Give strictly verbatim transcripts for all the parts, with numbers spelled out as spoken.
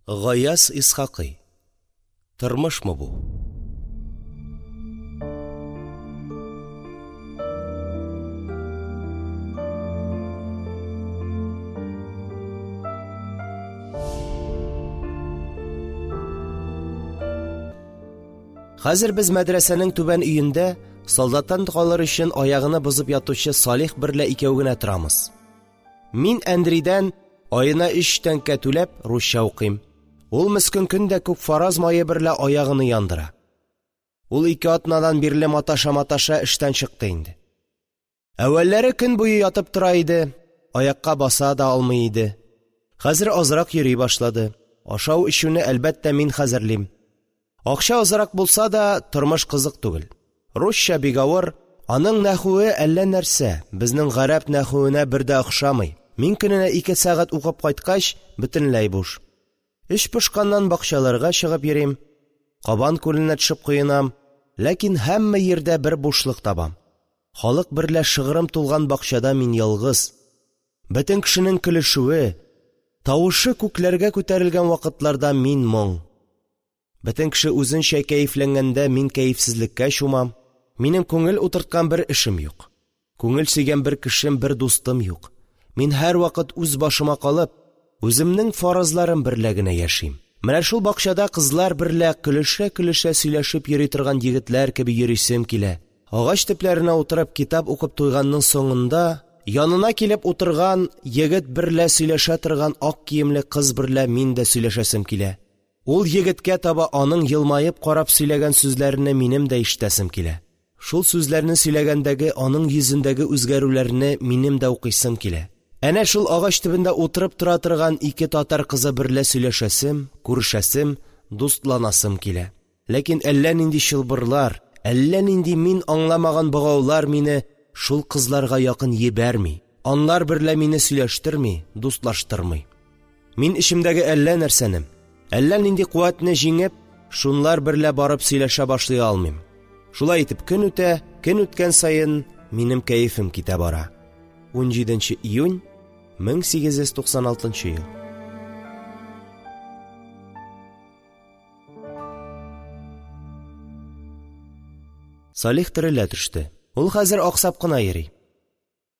Гаяз Исхакый. Тормышмы бу? Хәзер без мәдрәсәнең түбән өендә солдаттан калыр өчен аягыны бозып ятучы Салих берлә икәү генә торамыз. Мин Андрейдән аена өч тәңкә түләп русча укыйм. Ул мескен көн дә күк фараз мае берлә аягыны яндыра. Ул ике атнадан бирле маташа-маташа эштән чыкты инде. Әүвәлләре көн буе ятып тора иде, аякка баса да алмый иде. Хәзер азрак йөри башлады. Ашау-эчүне, әлбәттә, мин хәзерлим. Акча азрак булса да, тормыш кызык түгел. Русча бик авыр, аның нәхүе әллә нәрсә, безнең гарәп нәхүенә бер дә охшамый. Мин көненә ике сәгать укып кайткач, бөтенләй буш. Эч пошканнан бакчаларга чыгып йөрим, Кабан күленә төшеп коенам, ләкин һәммә җирдә бер бушлык табам. Халык берлә шыгрым тулган бакчада мин ялгыз. Бөтен кешенең көлешүе, тавышы күкләргә күтәрелгән вакытларда мин моң. Бөтен кеше үзенчә кәефләнгәндә мин кәефсезлеккә чумам. Минем күңел утырткан бер эшем юк. Күңел сөйгән бер кешем, бер дустым юк. Мин һәрвакыт үз башыма калып, үземнең фаразларым берлә генә яшим. Менә шул бакчада кызлар берлә көлешә-көлешә сөйләшеп йөри торган егетләр кеби йөрисем килә. Агач төпләренә утырып китап укып туйганның соңында янына килеп утырган егет берлә сөйләшә торган ак киемле кыз берлә мин дә сөйләшәсем килә. Ул егеткә таба аның елмаеп карап сөйләгән сүзләрен минем дә ишетәсем килә. Шул сүзләрне сөйләгәндәге аның йөзендәге үзгәрүләрне минем дә укыйсым килә. Әнә шул агач төбендә утырып тора торган ике татар кызы берлә сөйләшәсем, күрешәсем, дустланасым килә. Ләкин әллә нинди чылбырлар, әллә нинди мин аңламаган богаулар мине шул кызларга якын җибәрми. Анлар берлә мине сөйләштерми, дустлаштырмый. Мин эчемдәге әллә нәрсәне, әллә нинди куәтне җиңеп, шунлар берлә барып сөйләшә башлый алмыйм. Шулай итеп көн үтә, көн үткән саен минем кәефем китә бара. унҗиденче июнь мең сигез йөз туксан алтынчы ел. Салих терелә төште. Ул хәзер аксап кына йөри.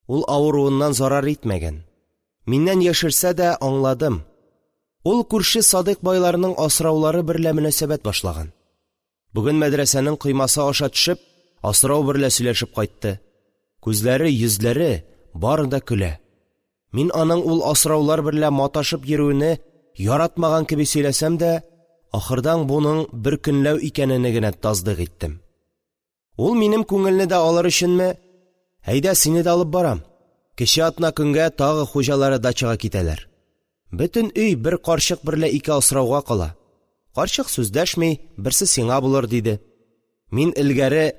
Ул авыруыннан зарар итмәгән. Миннән яшерсә дә аңладым. Ул күрше Садык байларының асраулары берлә мөнәсәбәт башлаган. Бүген мәдрәсәнең коймасы аша төшеп, асрау берлә сөйләшеп кайтты. Күзләре, йөзләре бары да көлә. Мин аның ул асраулар берлә маташып йөрүене яратмаган кеби сөйләсәм дә, ахырдан буның бер көнләү икәнене генә тасдык иттем. Ул минем күңелне дә алыр өченме? Әйдә, сине дә алып барам. Кече атна көнгә тагы хуҗалары дачага китәләр. Бөтен өй бер карчык берлә ике асрауга кала. Карчык сүз дәшми, берсе сиңа булыр диде. Мин элгәре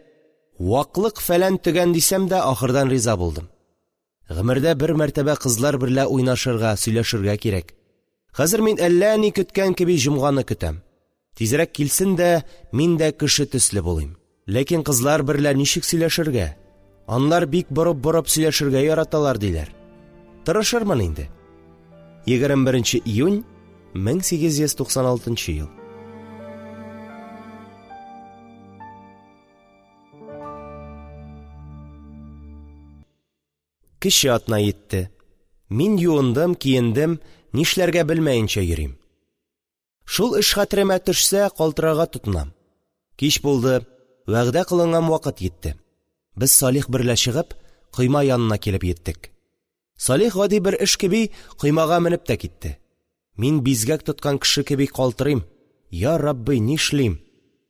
ваклык фәлән төгән дисәм дә, ахырдан риза булдым. Гомердә бер мәртәбә кызлар берлә уйнашырга, сөйләшергә кирәк. Хәзер мин әллә ни көткән кеби җомганы көтәм. Тизрәк килсен дә, мин дә кеше төсле булыйм. Ләкин кызлар берлә ничек сөйләшергә? Анлар бик борып-борып сөйләшергә яраталар диләр. Тырышырмын инде. егерме беренче июнь мең сигез йөз туксан алтынчы ел. Кече атна йитте. Мин юындым, киендем, нишләргә белмәенчә йөрим. Шул эш хәтеремә төшсә, калтырарга тотынам. Кич булды, вәгъдә кылынган вакыт йитте. Без Салих берлә чыгып, койма янына килеп йиттек. Салих гади бер эш кеби коймага менеп тә китте. Мин бизгәк тоткан кеше кеби калтырыйм. Я Рабби, нишлим?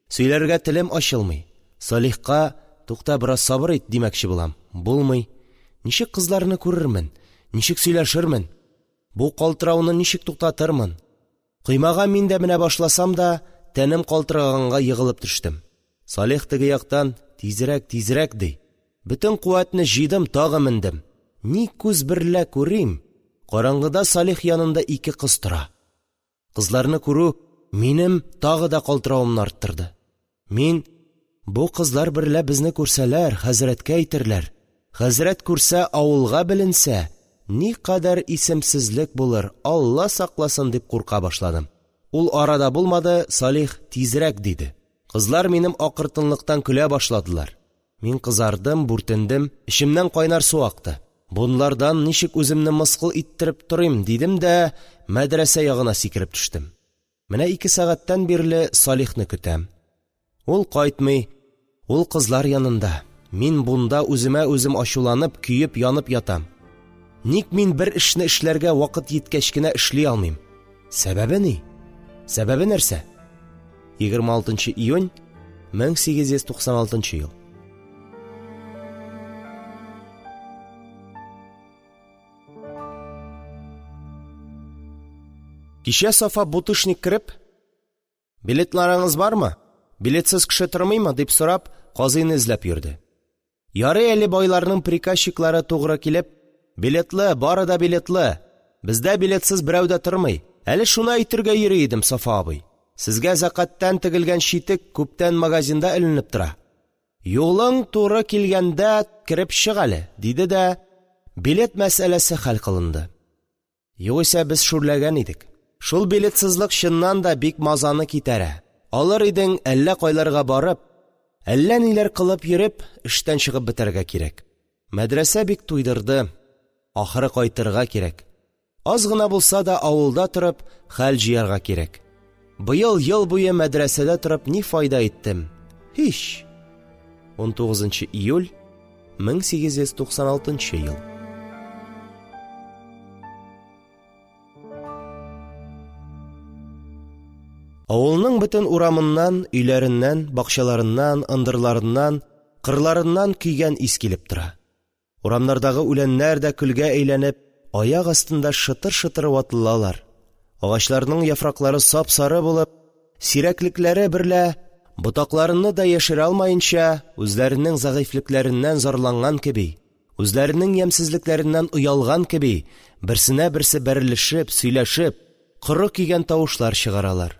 Сөйләргә телем ачылмый. Салихка, тукта, бераз сабыр ит димәкче булам. Булмый. Ничек кызларны күрермен? Ничек сөйләшермен? Бу калтырауны ничек туктатырмын? Коймага мин дә менә башласам да, тәнем калтыраганга егылып төштем. Салих теге яктан тизрәк, тизрәк ди. Бөтен куәтне җыйдым, тагы мендем. Ни күз берлә күрим? Караңгыда Салих янында ике кыз тора. Кызларны күрү минем тагы да калтыравымны арттырды. Мин бу кызлар берлә безне күрсәләр, хәзрәткә әйтерләр. Хәзрәт күрсә, авылга беленсә, ни кадәр исемсезлек булыр, Алла сакласын дип курка башладым. Ул арада булмады, Салих: «Тизрәк!» – диде. Кызлар минем акыртынлыктан көлә башладылар. Мин кызардым, бүртендем, эчемнән кайнар су акты. Бунлардан ничек үземне мыскыл иттереп торыйм, дидем дә, мәдрәсә ягына сикереп төштем. Менә ике сәгатьтән бирле Салихны көтәм. Ул кайтмый. Ул кызлар янында. Мин бунда үземә үзем ачуланып, көеп янып ятам. Ник мин бер эшне эшләргә вакыт җиткәч кенә эшли алмыйм? Сәбәбе ни? Сәбәбе нәрсә? егерме алтынчы июнь мең сигез йөз туксан алтынчы ел. Кичә Сафа бутышник кереп, «Билетларыңыз бармы? Билетсез кеше тормыймы?» – дип сорап, казыйны эзләп йөрде. Ярый әле байларның приказчиклары тугры килеп, «Билетлы, бары да билетлы. Бездә билетсез берәү дә тормый. Әле шуны әйтергә йөри идем, Сафа абый. Сезгә зәкаттан тегелгән читек күптән магазинда эленеп тора. Юлың туры килгәндә кереп чык әле», – диде дә, билет мәсьәләсе хәл кылынды. Югыйсә без шүрләгән идек. Шул билетсызлык чыннан да бик мазаны китәрә. Алыр идең, әллә кайларга барып, әллә ниләр кылып йөреп, эштән чыгып бетәргә кирәк. Мәдрәсә бик туйдырды. Ахыры кайтырга кирәк. Аз гына булса да авылда торып, хәл җыярга кирәк. Быел ел буе мәдрәсәдә торып ни файда иттем? Һич. унтугызынчы июль мең сигез йөз туксан алтынчы ел. Авылның бөтен урамыннан, өйләреннән, бакчаларыннан, ындырларыннан, кырларыннан көйгән ис килеп тора. Урамнардагы үләннәр дә көлгә әйләнеп, аяк астында шытыр-шытыр ватылалар. Агачларның яфраклары сап-сары булып, сирәклекләре берлә ботакларыны да яшерә алмаенча, үзләренең зәгыйфьлекләреннән зарланган кеби, үзләренең ямьсезлекләреннән оялган кеби, берсенә берсе бәрелешеп, сөйләшеп, коры көйгән тавышлар чыгаралар.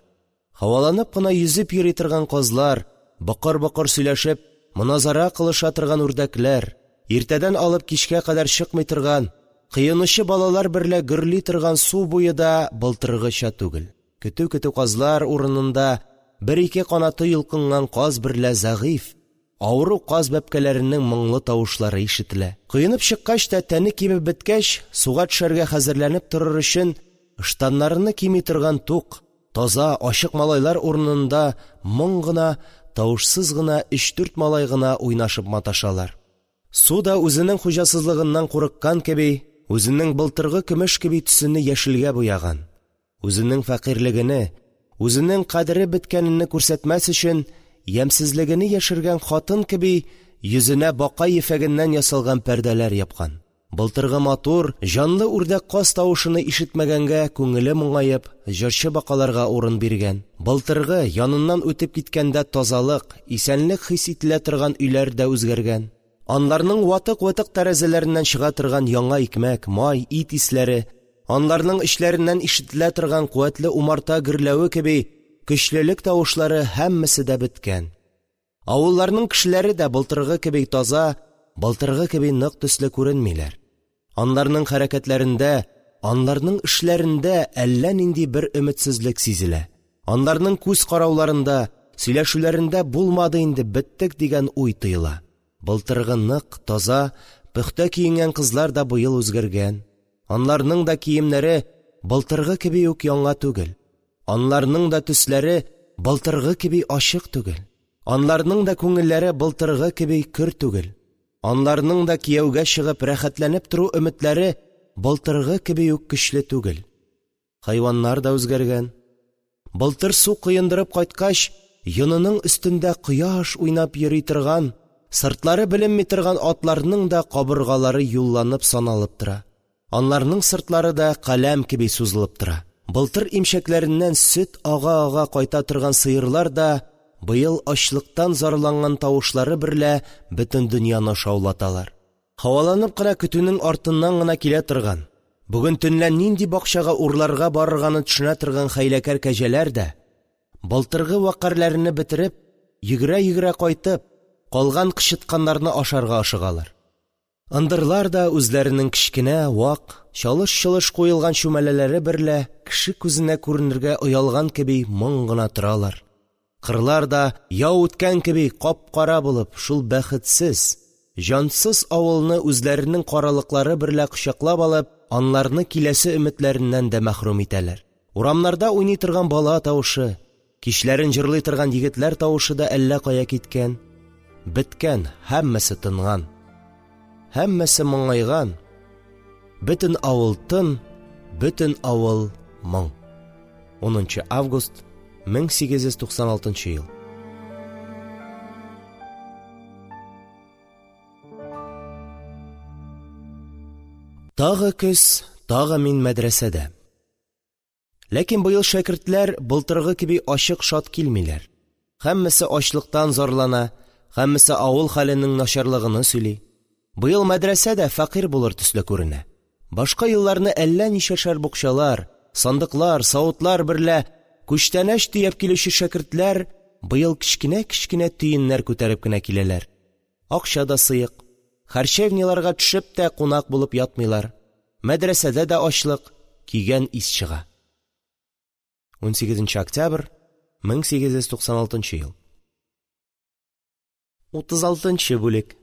Һаваланып кына йөзеп йөри торган казлар, бакыр-бакыр сөйләшеп, моназара кылыша торган үрдәкләр, иртәдән алып кичкә кадәр чыкмый торган, кыенучы балалар берлә гөрли торган су буе да былтыргыча түгел. Көтү-көтү казлар урынында бер-ике канаты йолкынган каз берлә зәгыйф, авыру каз бәбкәләренең моңлы тавышлары ишетелә. Коенып чыккач та тәне кибеп беткәч, суга төшәргә хәзерләнеп торыр өчен ыштаннарны кими торган тук, таза, ачык малайлар урынында моң гына, тавышсыз гына өч-дүрт малай гына уйнашып маташалар. Су да үзенең хуҗасызлыгыннан курыккан кеби, үзенең былтыргы көмеш кеби төсене яшелгә буяган, үзенең фәкыйрьлегене, үзенең кадере беткәнен күрсәтмәс өчен ямьсезлегене яшергән хатын кеби йөзенә бака ефәгеннән ясалган пәрдәләр япкан. Былтыргы матур, җанлы үрдәк каз тавышыны ишетмәгәнгә күңеле моңаеп, җырчы бакаларга урын биргән. Былтыргы яныннан үтеп киткәндә тазалык, исәнлек хис ителә торган өйләр дә үзгәргән. Анларның ватык-ватык тәрәзәләреннән чыга торган яңа икмәк, май, ит исләре, анларның эчләреннән ишетелә торган куәтле умарта гөрләве кеби көчлелек тавышлары һәммәсе дә беткән. Авылларның кешеләре дә былтыргы кеби таза, былтыргы кеби нык төсле күренмиләр. Анларның хәрәкәтләрендә, анларның эшләрендә әллә нинди бер өметсезлек сизелә. Анларның күз карауларында, сөйләшүләрендә булмады инде, беттек дигән уй тоела. Былтыргы нык, таза, пөхтә киенгән кызлар да быел үзгәргән. Анларның да киемнәре былтыргы кеби үк яңа түгел. Анларның да төсләре былтыргы кеби ачык түгел. Анларның да күңелләре былтыргы кеби көр түгел. Анларның да кияүгә чыгып рәхәтләнеп тору өметләре былтыргы кеби үк көчле түгел. Хайваннар да үзгәргән. Былтыр су коендырып кайткач, йонының өстендә кояш уйнап йөри торган, сыртлары беленми торган атларның да кабыргалары юлланып саналып тора. Анларның сыртлары да каләм кеби сузылып тора. Былтыр имчәкләреннән сөт ага-ага кайта торган сыерлар да быел ачлыктан зарланган тавышлары берлә бөтен дөньяны шаулаталар. Һаваланып кына көтүнең артыннан гына килә торган, бүген төнлә нинди бакчага урларга барырганы төшенә торган хәйләкәр кәҗәләр дә, былтыргы вәкарьләрен бетереп, йөгерә-йөгерә кайтып, калган кычытканнарны ашарга ашыгалар. Ындырлар да үзләренең кечкенә, вак, чалыш-чолыш куелган чүмәләләре берлә кеше күзенә күренергә оялган кеби моң гына торалар. Кырлар да, яу үткән кеби, кап-кара булып, шул бәхетсез, җансыз авылны үзләренең каралыклары берлә кочаклап алып, анларны киләсе өметләреннән дә мәхрүм итәләр. Урамнарда уйный торган бала тавышы, кичләрен җырлый торган егетләр тавышы да әллә кая киткән, беткән, һәммәсе тынган, һәммәсе моңайган. Бөтен авыл тын, бөтен авыл моң. Унынчы август мең сигез йөз туксан алтынчы ел. Тагы көз, тагы мин мәдрәсәдә. Ләкин быел шәкертләр былтыргы кеби ачык шат килмиләр. Һәммәсе ачлыктан зарлана, һәммәсе авыл хәленең начарлыгыны сөйли. Быел мәдрәсә дә фәкыйрь булыр төсле күренә. Башка елларны әллә ничәшәр букчалар, сандыклар, савытлар берлә күчтәнәч төяп килүче шәкертләр быел кечкенә-кечкенә төеннәр күтәреп кенә киләләр. Акча да сыек. Харчевниларга төшеп тә кунак булып ятмыйлар. Мәдрәсәдә дә ачлык, кигән ис чыга. Унсигезенче октябрь мең сигез йөз туксан алтынчы ел. Утыз алтынчы бүлек.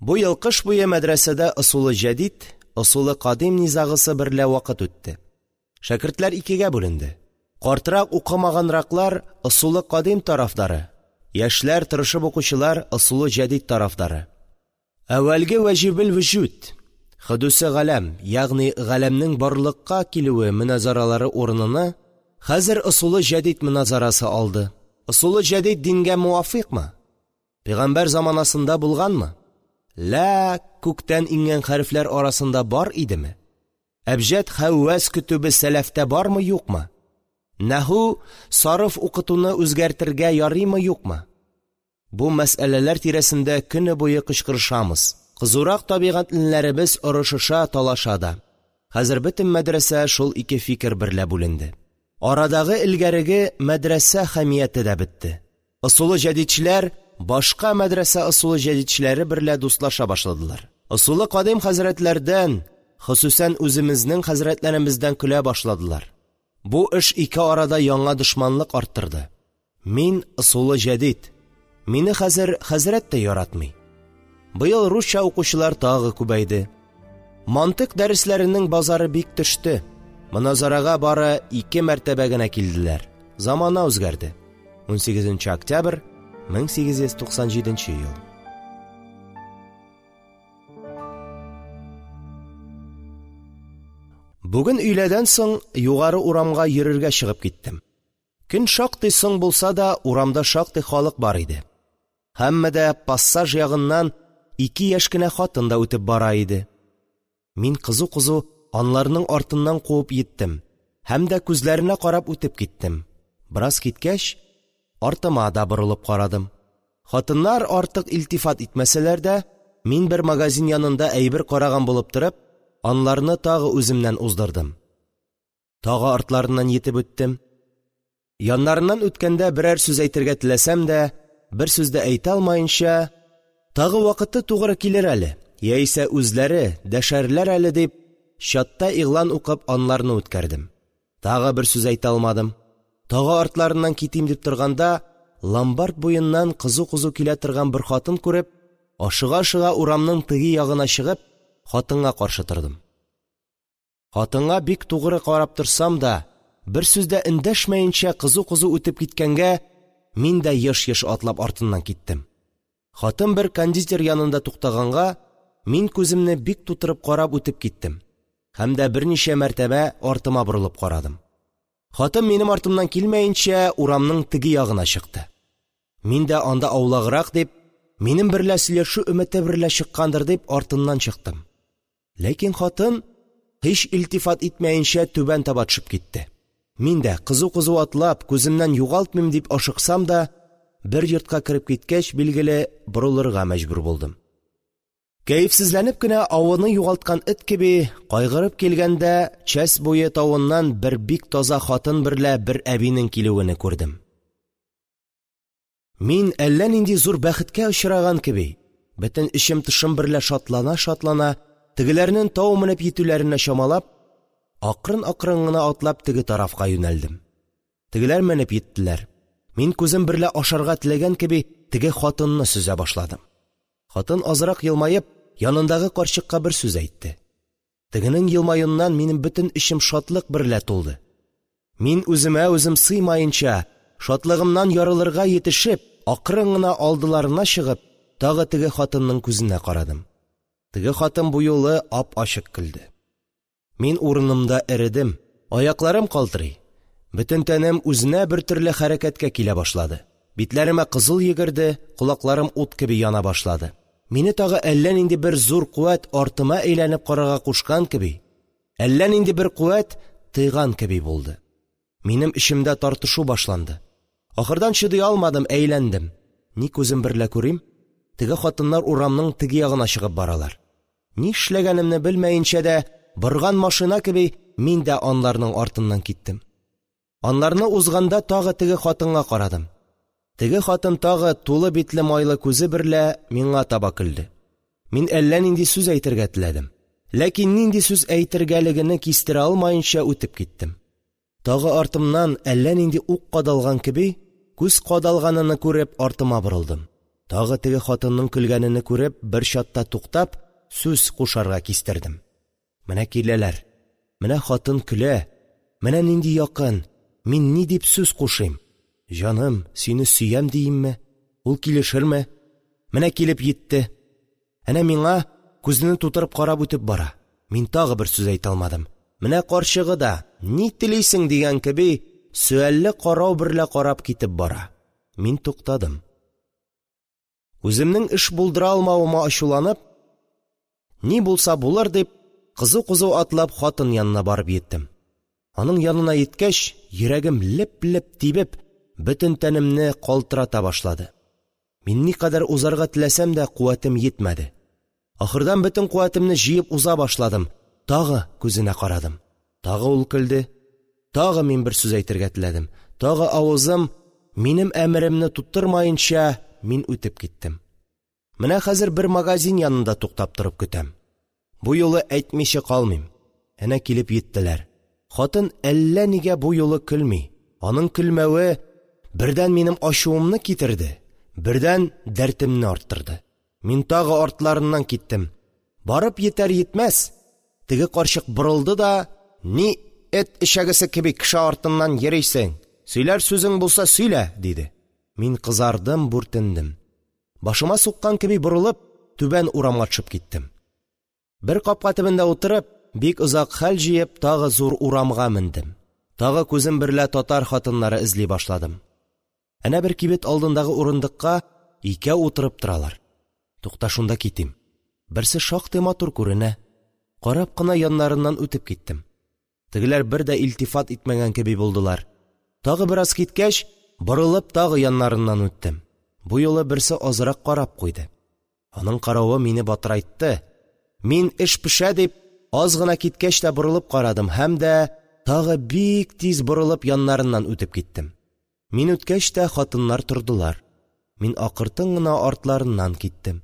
Бу ел кыш буе мәдрәсәдә ысулы җәдид, ысулы кадим низагысы берлә вакыт үтте. Шәкертләр икегә бүленде. Картрак укымаганраклар ысулы кадим тарафдары, яшьләр тырышып укучылар ысулы җәдид тарафдары. Әүвәлге вәҗибел вөҗүд, хөдүсе галәм, ягъни галәмнең барлыкка килүе мөназаралары урыныны хәзер ысулы җәдид мөназарасы алды. Ысулы җәдид дингә муафикмы? Пәйгамбәр заманасында булганмы? Лә, күктән иңгән хәрефләр арасында бар идеме? Әбҗәд хәввәс көтүбе сәләфтә бармы, юкмы? Нәху сарыф укытуны үзгәртергә ярыймы, юкмы? Бу мәсьәләләр тирәсендә көне буе кычкырышамыз. Кызурак табигатьлеләребез орышыша, талаша да. Хәзер бөтен мәдрәсә шул ике фикер берлә бүленде. Арадагы элгәреге мәдрәсә хәмияте дә бетте. Ысулы җәдидчеләр башка мәдрәсә ысулы җәдидчеләре берлә дуслаша башладылар. Ысулы кадим хәзрәтләрдән, хосусан үземезнең хәзрәтләремездән көлә башладылар. Бу эш ике арада яңа дошманлык арттырды. Мин ысулы җәдид. Мине хәзер хәзрәт тә яратмый. Быел русча укучылар тагы күбәйде. Мантык дәресләренең базары бик төште. Моназарага бары ике мәртәбә генә килделәр. Замана үзгәрде. Унсигезенче октябрь мең сигез йөз туксан җиденче ел. Бүген өйләдән соң югары урамга йөрергә чыгып киттем. Көн шактый соң булса да, урамда шактый халык бар иде. Һәммә дә пассаж ягыннан ике яшь кенә хатын да үтеп бара иде. Мин кызу-кызу анларның артыннан куып йиттем һәм дә күзләренә карап үтеп киттем. Бераз киткәч, артыма да борылып карадым. Хатыннар артык илтифат итмәсәләр дә, мин бер магазин янында әйбер караган булып торып, анларны тагы үземнән уздырдым. Тагы артларыннан йетеп үттем. Яннарыннан үткәндә берәр сүз әйтергә теләсәм дә, бер сүз дә әйтә алмаенча, тагы вакыты тугры килер әле, яисә үзләре дәшәрләр әле дип, чатта игълан укып анларны үткәрдем. Тагы бер сүз әйтә алмадым. Тагы артларыннан китим дип торганда, ломбард буеннан кызу-кызу килә торган бер хатын күреп, ашыга-ашыга урамның теге ягына чыгып, хатынга каршы тордым. Хатынга бик тугры карап торсам да, бер сүз дә эндәшмәенчә кызу-кызу үтеп киткәнгә, мин дә еш-еш атлап артыннан киттем. Хатын бер кондитер янында туктаганга, мин күземне бик тутырып карап үтеп киттем. Һәм дә берничә мәртәбә артыма борылып карадым. Хатын минем артымнан килмәенчә урамның теге ягына чыкты. Мин дә анда аулаграк дип, минем берлә сөйләшү өмете берлә чыккандыр дип артыннан чыктым. Ләкин хатын һич илтифат итмәенчә түбән таба төшеп китте. Мин дә кызу-кызу атлап, күземнән югалтмыйм дип ашыксам да, бер йортка кереп киткәч, билгеле, борылырга мәҗбүр булдым. Кәефсезләнеп кенә авыны югалткан эт кеби кайгырып килгәндә, часть буе тавыннан бер бик таза хатын берлә бер әбинең килүен күрдем. Мин әллә нинди зур бәхеткә очраган кеби, Бөтен эчем-тышым берлә шатлана-шатлана, тегеләрнең тау менеп йитүләренә чамалап, акрын-акрын гына атлап теге тарафка юнәлдем. Тегеләр менеп йиттеләр. Мин күзем берлә ашарга теләгән кеби теге хатынны сөзә башладым. Хатын азрак елмаеп, янындагы карчыкка бер сүз әйтте. Тегенең елмаюыннан минем бөтен эчем шатлык берлә тулды. Мин үземә үзем сыймаенча, шатлыгымнан ярылырга йитешеп, акрын гына алдыларына чыгып, тагы теге хатынның күзенә карадым. Теге хатын бу юлы ап-ачык көлде. Мин урынымда эредем, аякларым калтырый. Бөтен тәнем үзенә бер төрле хәрәкәткә килә башлады. Битләремә кызыл йөгерде, колакларым ут кеби яна башлады. Мине тагы әллә нинди бер зур куәт артыма әйләнеп карарга кушкан кеби, әллә нинди бер куәт тыйган кеби булды. Минем эчемдә тартышу башланды. Ахырдан чыдый алмадым, әйләндем. Ни күзем берлә күрим? Теге хатыннар урамның теге ягына чыгып баралар. Ни эшләгәнемне белмәенчә дә, борган машина кеби, мин дә анларның артыннан киттем. Анларны узганда тагы теге хатынга карадым. Теге хатын тагы тулы битле майлы күзе берлә миңа таба көлде. Мин әллә нинди сүз әйтергә теләдем. Ләкин нинди сүз әйтергәлегене кистерә алмаенча үтеп киттем. Тагы артымнан әллә нинди ук кадалган кеби, күз кадалганыны күреп артыма борылдым. Тагы теге хатынның көлгәнене күреп, бер чатта туктап, сүз кушарга кистердем. Менә киләләр. Менә хатын көлә. Менә нинди якын. Мин ни дип сүз кушыйм? Җаным, сине сөям диимме? Ул килешерме? Менә килеп йитте. Әнә миңа күзене тутырып карап үтеп бара. Мин тагы бер сүз әйтә алмадым. Менә карчыгы да, ни телисең дигән кеби, сөальле карау берлә карап китеп бара. Мин туктадым. Үземнең эш булдыра алмавыма ачуланып, ни булса булыр дип, кызу-кызу атлап хатын янына барып йиттем. Аның янына йиткәч, йөрәгем леп-леп тибеп, бөтен тәнемне калтырата башлады. Мин никадәр узарга теләсәм дә, куәтем йитмәде. Ахырдан бөтен куәтемне җыеп уза башладым. Тагы күзенә карадым. Тагы ул көлде. Тагы мин бер сүз әйтергә теләдем. Тагы авызым минем әмеремне тоттырмаенча, мин үтеп киттем. Менә хәзер бер магазин янында туктап торып көтәм. Бу юлы әйтмичә калмыйм. Әнә килеп йиттеләр. Хатын әллә нигә бу юлы көлми. Аның көлмәве бердән минем ачуымны китерде, бердән дәртемне арттырды. Мин тагы артларыннан киттем. Барып йитәр йитмәс, теге карчык борылды да, ни эт эчәгесе кеби кеше артыннан йөрисең? Сөйләр сүзең булса сөйлә, диде. Мин кызардым, бүртендем. Башыма суккан кеби борылып, түбән урамга төшеп киттем. Бер капка төбендә утырып, бик озак хәл җыеп, тагы зур урамга мендем. Тагы күзем берлә татар хатыннары эзли башладым. Әнә бер кибет алдындагы урындыкка икәү утырып торалар. Тукта, шунда китим. Берсе шактый матур күренә. Карап кына яннарыннан үтеп киттем. Тегеләр бер дә илтифат итмәгән кеби булдылар. Тагы бераз киткәч, борылып тагы яннарыннан үттем. Бу юлы берсе азрак карап куйды. Аның каравы мине батырайтты. Мин эш пешә дип, аз гына киткәч тә борылып карадым һәм дә тагы бик тиз борылып яннарыннан үтеп киттем. Мин үткәч тә хатыннар тордылар. Мин акыртын гына артларыннан киттем.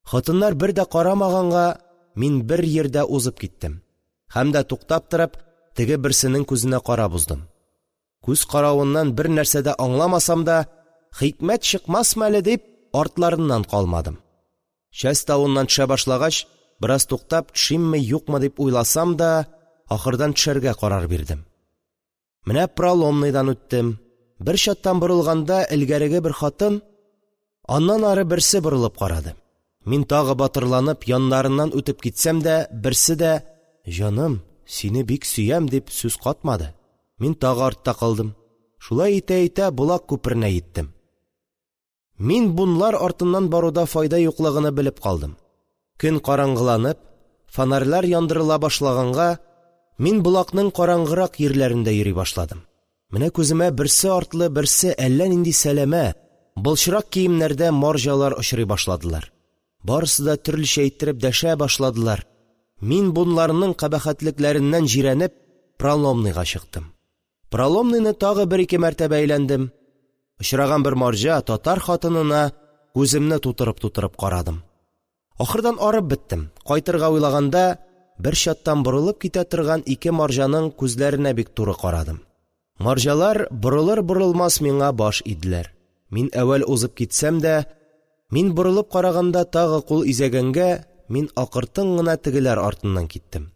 Хатыннар бер дә карамаганга, мин бер йирдә узып киттем. Һәм дә туктап торып, теге берсенең күзенә карап уздым. Күз каравыннан бер нәрсә дә аңламасам да, хикмәт чыкмасмы әле дип, артларыннан калмадым. Часть тавыннан төшә башлагач, бераз туктап, төшимме, юкмы дип уйласам да, ахырдан төшәргә карар бирдем. Менә Проломныйдан үттем. Бер чаттан борылганда элгәреге бер хатын, аннан ары берсе борылып карады. Мин тагы батырланып яннарыннан үтеп китсәм дә, берсе дә «Җаным, сине бик сөям» дип сүз катмады. Мин тагы артта калдым. Шулай итә-итә Болак күперенә йиттем. Мин бунлар артыннан баруда файда юклыгыны белеп калдым. Көн караңгыланып, фонарьлар яндырыла башлаганга, мин Болакның караңгырак йирләрендә йөри башладым. Менә күземә берсе артлы берсе әллә нинди сәләмә, былчырак киемнәрдә марҗалар очрый башладылар. Барысы да төрлечә иттереп дәшә башладылар. Мин бунларның кабахәтлекләреннән җирәнеп, Проломныйга чыктым. Проломныйны тагы бер-ике мәртәбә әйләндем. Очраган бер марҗа татар хатынына күземне тутырып-тутырып карадым. Ахырдан арып беттем. Кайтырга уйлаганда, бер чаттан борылып китә торган ике марҗаның күзләренә бик туры карадым. Марҗалар борылыр-борылмас миңа баш иделәр. Мин әүвәл узып китсәм дә, мин борылып караганда тагы кул изәгәнгә, мин акыртын гына тегеләр артыннан киттем.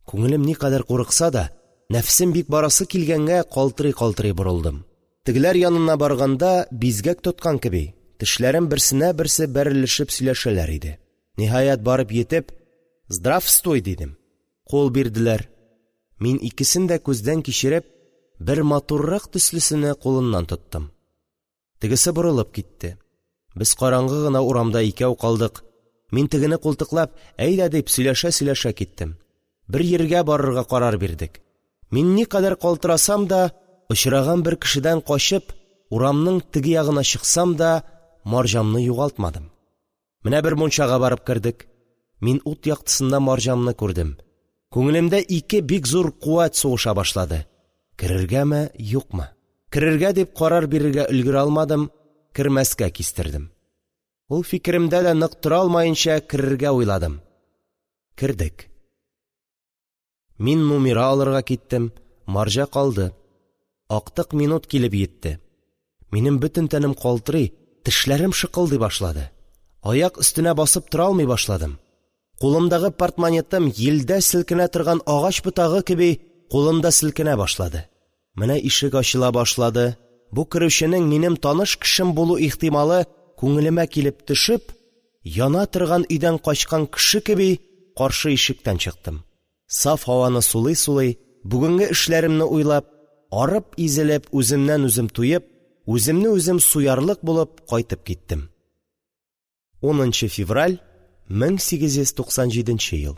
Күңелем никадәр курыкса да, нәфесем бик барасы килгәнгә калтырый-калтырый борылдым. Тегеләр янына барганда, бизгәк тоткан кеби, тешләрем берсенә берсе бәрелешеп сөйләшәләр иде. Ниһаять, барып йитеп, «Здравствуй!» дидем. Кул бирделәр. Мин икесен дә күздән кичереп, бер матуррак төслесене кулыннан тоттым. Тегесе борылып китте. Без караңгы гына урамда икәү калдык. Мин тегене култыклап, «Әйдә!» дип сөйләшә-сөйләшә киттем. Бер йиргә барырга карар бирдек. Мин никадәр калтырасам да, очраган бер кешедән качып, урамның теге ягына чыксам да, марҗамны югалтмадым. Менә бер мунчага барып кердек. Мин ут яктысында марҗамны күрдем. Күңелемдә ике бик зур куәт сугыша башлады. Керергәме, юкмы? Керергә дип карар бирергә өлгерә алмадым, кермәскә кистердем. Ул фикеремдә дә нык тора алмаенча керергә уйладым. Кердек. Мин нумера алырга киттем, марҗа калды. Актык минут килеп йитте. Минем бөтен тәнем калтырый, тешләрем шыкылдый башлады. Аяк өстенә басып тора алмый башладым. Кулымдагы портмонетым йилдә селкенә торган агач ботагы кеби кулымда селкенә башлады. Менә ишек ачыла башлады. Бу керүченең минем таныш кешем булу ихтималы күңелемә килеп төшеп, яна торган өйдән качкан кеше кеби каршы ишектән чыктым. Саф һаваны сулый-сулый, бүгенге эшләремне уйлап, арып изелеп, үземнән үзем туеп, үземне үзем суярлык булып кайтып киттем. Унынчы февраль мең сигез йөз туксан җиденче ел.